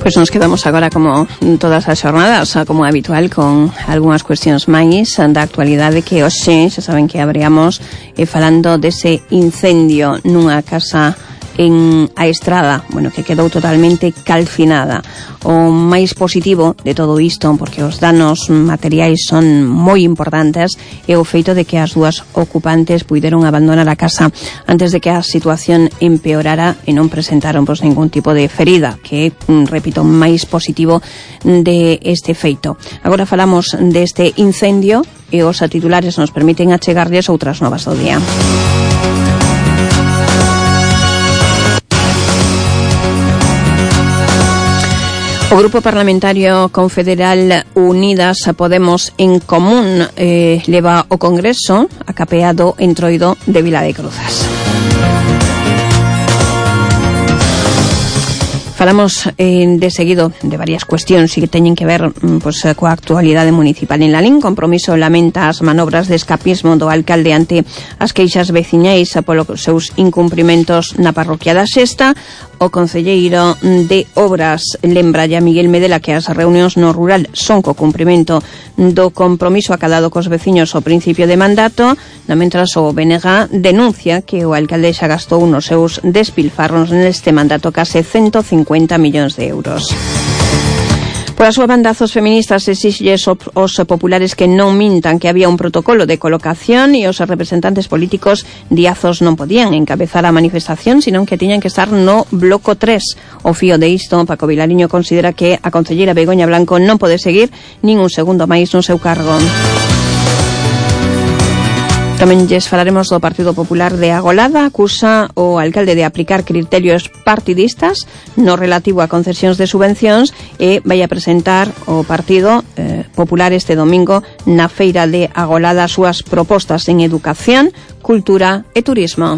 Speaker 1: Pois nos quedamos agora como todas as xornadas, como habitual, con algunhas cuestións máis da actualidade que hoxe, xa saben que abríamos falando dese incendio nunha casa en A Estrada, bueno, que quedou totalmente calcinada. O máis positivo de todo isto, porque os danos materiais son moi importantes, é o feito de que as dúas ocupantes puideron abandonar a casa antes de que a situación empeorara e non presentaron ningún tipo de ferida, que é, repito, máis positivo de este feito. Agora falamos deste incendio e os titulares nos permiten achegarlles outras novas do día. O Grupo Parlamentario Confederal Unidas Podemos en Común leva o Congreso a capeado Entroido de Vila de Cruzas. Falamos de seguido de varias cuestións que teñen que ver coa actualidade municipal. En Lalín, Compromiso lamenta as manobras de escapismo do alcalde ante as queixas veciñais polos seus incumprimentos na parroquia da Sexta. O concelleiro de Obras lembralle a Miguel Medela que as reunións no rural son co cumprimento do compromiso acadado cos veciños ao principio de mandato, mentras o BNG denuncia que o alcalde xa gastou nos seus despilfarros neste mandato case 150 millóns de euros. Por a súa banda, Azos Feministas exixes aos populares que non mintan que había un protocolo de colocación e os representantes políticos de Azos non podían encabezar a manifestación, senón que tiñan que estar no bloco 3. O fío de isto, Paco Vilariño considera que a concelleira Begoña Blanco non pode seguir nin un segundo máis no seu cargo. Tamén lles falaremos do Partido Popular de Agolada. Acusa o alcalde de aplicar criterios partidistas no relativo a concesións de subvencións e vai a presentar o Partido Popular este domingo na feira de Agolada as súas propostas en educación, cultura e turismo.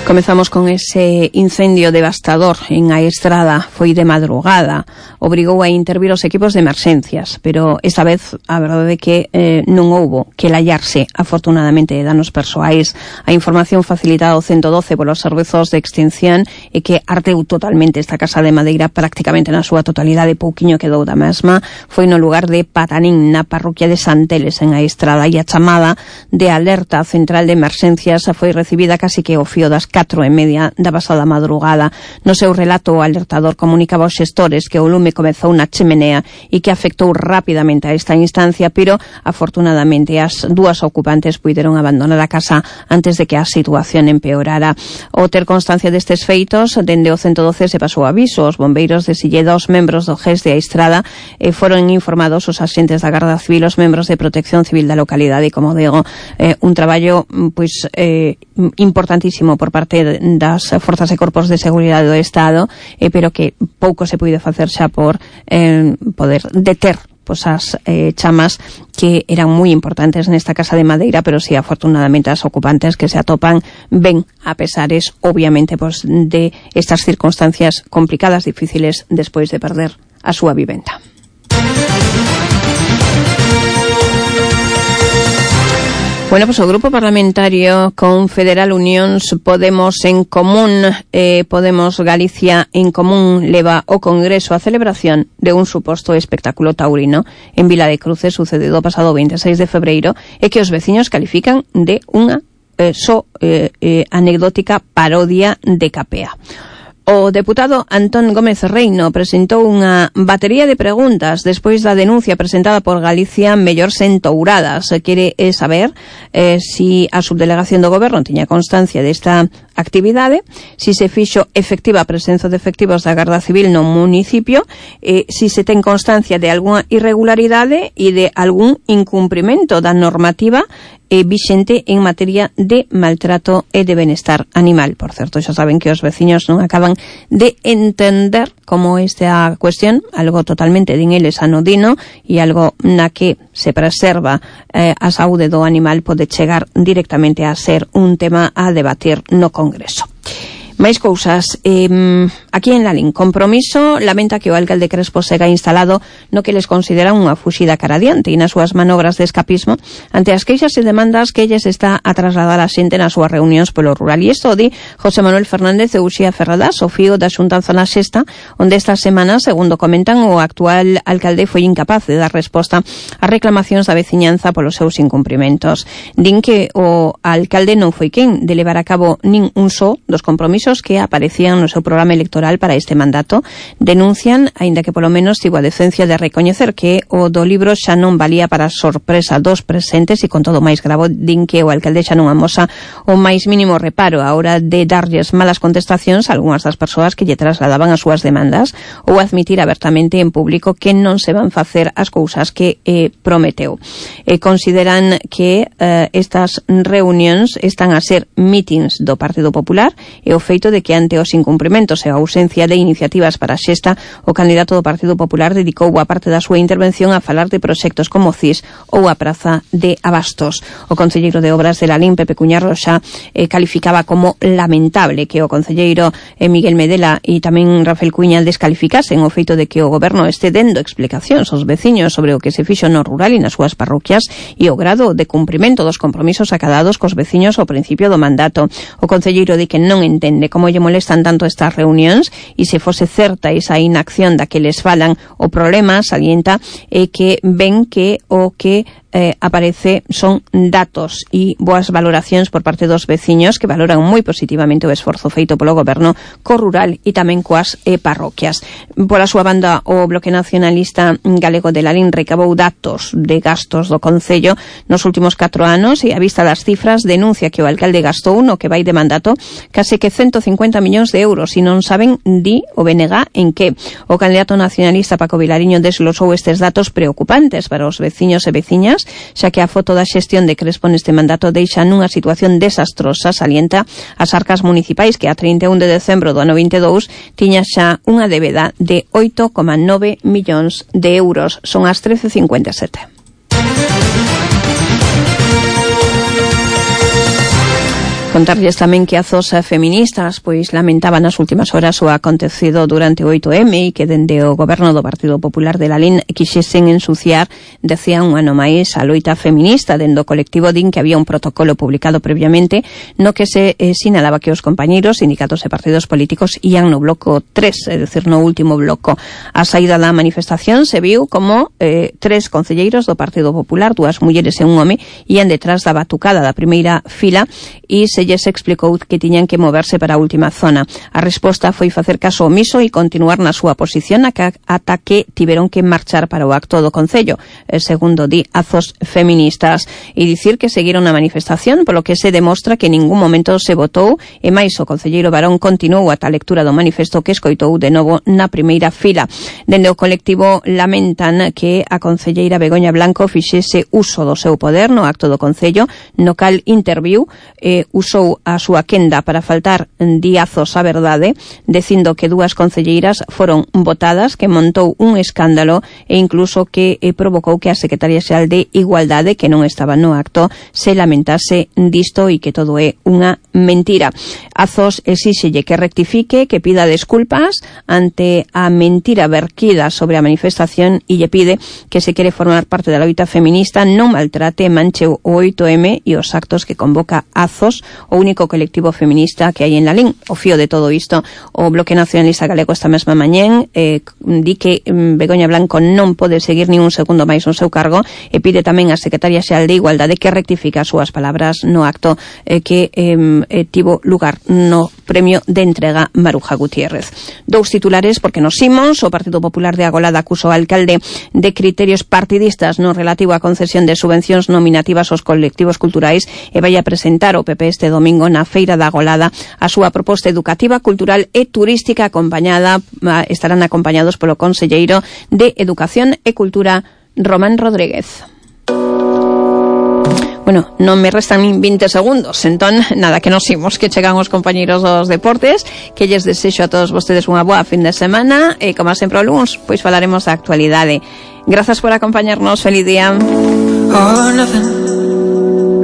Speaker 1: Comezamos con ese incendio devastador en A Estrada. Foi de madrugada, obrigou a intervir os equipos de emerxencias, pero esta vez a verdade é que non houbo que lallarse, afortunadamente, danos persoais. A información facilitada ao 112 polos servizos de extinción é que ardeu totalmente esta casa de madeira, prácticamente na súa totalidade, pouquiño quedou da mesma. Foi no lugar de Patanín, na parroquia de Santeles, en A Estrada, e a chamada de alerta central de emerxencias foi recibida casi que ao fío das 4:30 da pasada madrugada. No seu relato, o alertador comunicaba aos xestores que o lume comezou na chemenea e que afectou rapidamente a esta instancia, pero afortunadamente as dúas ocupantes puideron abandonar a casa antes de que a situación empeorara. Ao ter constancia destes feitos, dende o 112 se pasou aviso aos bombeiros de Silleda, os membros do GES de A Estrada, e foron informados os axentes da Garda Civil, os membros de Protección Civil da localidade, e como digo, un traballo importantísimo por parte das forzas e corpos de seguridade do Estado, pero que pouco se puide facer xa por poder deter as chamas que eran moi importantes nesta casa de madeira, pero sí, afortunadamente, as ocupantes que se atopan ben, a pesares, obviamente, de estas circunstancias complicadas, difíciles, despois de perder a súa vivenda. O Bueno, pues o Grupo Parlamentario Confederal Unións Podemos en Común, Podemos Galicia en Común leva o Congreso a celebración de un suposto espectáculo taurino en Vila de Cruces sucedido o pasado 26 de febreiro e que os veciños califican de unha anecdótica parodia de Capea. O deputado Antón Gómez Reino presentou unha batería de preguntas despois da denuncia presentada por Galicia Mellors en Touradas. Quere saber si a subdelegación do Goberno tiña constancia desta actividade, si se fixo efectiva a presenza de efectivos da Garda Civil no municipio, si se ten constancia de algunha irregularidade e de algún incumprimento da normativa vixente en materia de maltrato e de benestar animal. Por certo, xa saben que os veciños non acaban de entender como esta cuestión, algo totalmente din eles anodino e algo na que se preserva a saúde do animal, pode chegar directamente a ser un tema a debatir no Congreso. Máis cousas, aquí en Lalín, Compromiso lamenta que o alcalde Crespo sega instalado no que les consideran unha fuxida cara adiante e nas súas manobras de escapismo ante as queixas e demandas que elles está a trasladar a xente nas súas reunións polo rural. E isto di José Manuel Fernández e Uxía Ferradas, o fío da Xuntanza na Xesta, onde esta semana, segundo comentan, o actual alcalde foi incapaz de dar resposta ás reclamacións da veciñanza polos seus incumprimentos. Din que o alcalde non foi quen de levar a cabo nin un só dos compromisos que aparecían no seu programa electoral para este mandato. Denuncian, aínda que polo menos tivo a decencia de recoñecer que o do libro xa non valía para sorpresa dos presentes e con todo máis gravo din que o alcalde xa non amosa o máis mínimo reparo a hora de darlles malas contestacións a algunhas das persoas que lle trasladaban as súas demandas ou admitir abertamente en público que non se van facer as cousas que prometeu. Consideran que estas reunións están a ser mítins do Partido Popular e o feito de que ante os incumprimentos e a ausencia de iniciativas para a Xesta, o candidato do Partido Popular dedicou boa parte da súa intervención a falar de proxectos como CIS ou a Praza de Abastos. O concelleiro de Obras de Lalín, Pepe Cuñar Roxa, calificaba como lamentable que o concelleiro Miguel Medela e tamén Rafael Cuña descalificasen o feito de que o goberno este dendo explicacións aos veciños sobre o que se fixo no rural e nas súas parroquias e o grado de cumprimento dos compromisos acadados cos veciños ao principio do mandato. O concelleiro di que non entende como lle molestan tanto estas reunións e se fose certa esa inacción da que les falan, o problema, salienta, é que ven que o que aparece son datos e boas valoracións por parte dos veciños que valoran moi positivamente o esforzo feito polo goberno co rural e tamén coas parroquias. Pola súa banda, o Bloque Nacionalista Galego de Lalín recabou datos de gastos do Concello nos últimos 4 anos e a vista das cifras denuncia que o alcalde gastou no que vai de mandato case que 150 millóns de euros e non saben, di o BNG, en que. O candidato nacionalista Paco Vilariño desglosou estes datos preocupantes para os veciños e veciñas, xa que a foto da xestión de Crespo neste mandato deixa nunha situación desastrosa, salienta as arcas municipais que a 31 de decembro do ano 22 tiña xa unha débeda de 8,9 millóns de euros. Son as 13:57. Contarlles tamén que as feministas pois lamentaban nas últimas horas o acontecido durante o 8M e que dende o goberno do Partido Popular de Lalín quixesen ensuciar, decían un ano máis, a loita feminista. Dende o colectivo din que había un protocolo publicado previamente no que se sinalaba que os compañeiros, sindicatos e partidos políticos ían no bloco 3, é dicir, no último bloco. A saída da manifestación se viu como 3 concelleiros do Partido Popular, 2 mulleres e un home, ían detrás da batucada da primeira fila e se lles explicou que tiñan que moverse para a última zona. A resposta foi facer caso omiso e continuar na súa posición ata que tiveron que marchar para o acto do Concello, segundo di Azos Feministas, e dicir que seguiron a manifestación, polo que se demostra que en ningún momento se votou, e máis o concelleiro Barón continuou ata a lectura do manifesto que escoitou de novo na primeira fila. Dende o colectivo lamentan que a concelleira Begoña Blanco fixese uso do seu poder no acto do Concello, no cal interviu, usou usou a súa quenda para faltar diazos a verdade, dicindo que dúas concelleiras foron votadas, que montou un escándalo e incluso que provocou que a Secretaria Xeral de Igualdade, que non estaba no acto, se lamentase disto e que todo é unha mentira. Azos exíxelle que rectifique, que pida desculpas ante a mentira verquida sobre a manifestación e lle pide que se quere formar parte da loita feminista non maltrate, manche o 8M e os actos que convoca Azos, o único colectivo feminista que hai en Lalín. O fío de todo isto, o Bloque Nacionalista Galego esta mesma mañén di que Begoña Blanco non pode seguir nin un segundo máis no seu cargo e pide tamén a Secretaria Xeral de Igualdade que rectifique as súas palabras no acto que tivo lugar no premio de entrega Maruja Gutiérrez. Dous titulares porque nos imos. O Partido Popular de Agolada acusou ao alcalde de criterios partidistas no relativo á concesión de subvencións nominativas aos colectivos culturais e vai a presentar o PP este domingo na Feira da Agolada a súa proposta educativa, cultural e turística estarán acompañados polo conselleiro de Educación e Cultura, Román Rodríguez. Bueno, non me restan nin 20 segundos, entón, nada, que nos imos, que chegan os compañeiros dos deportes, que lles desexo a todos vostedes unha boa fin de semana, e como sempre o luns, pois falaremos da actualidade. Grazas por acompañarnos, feliz día.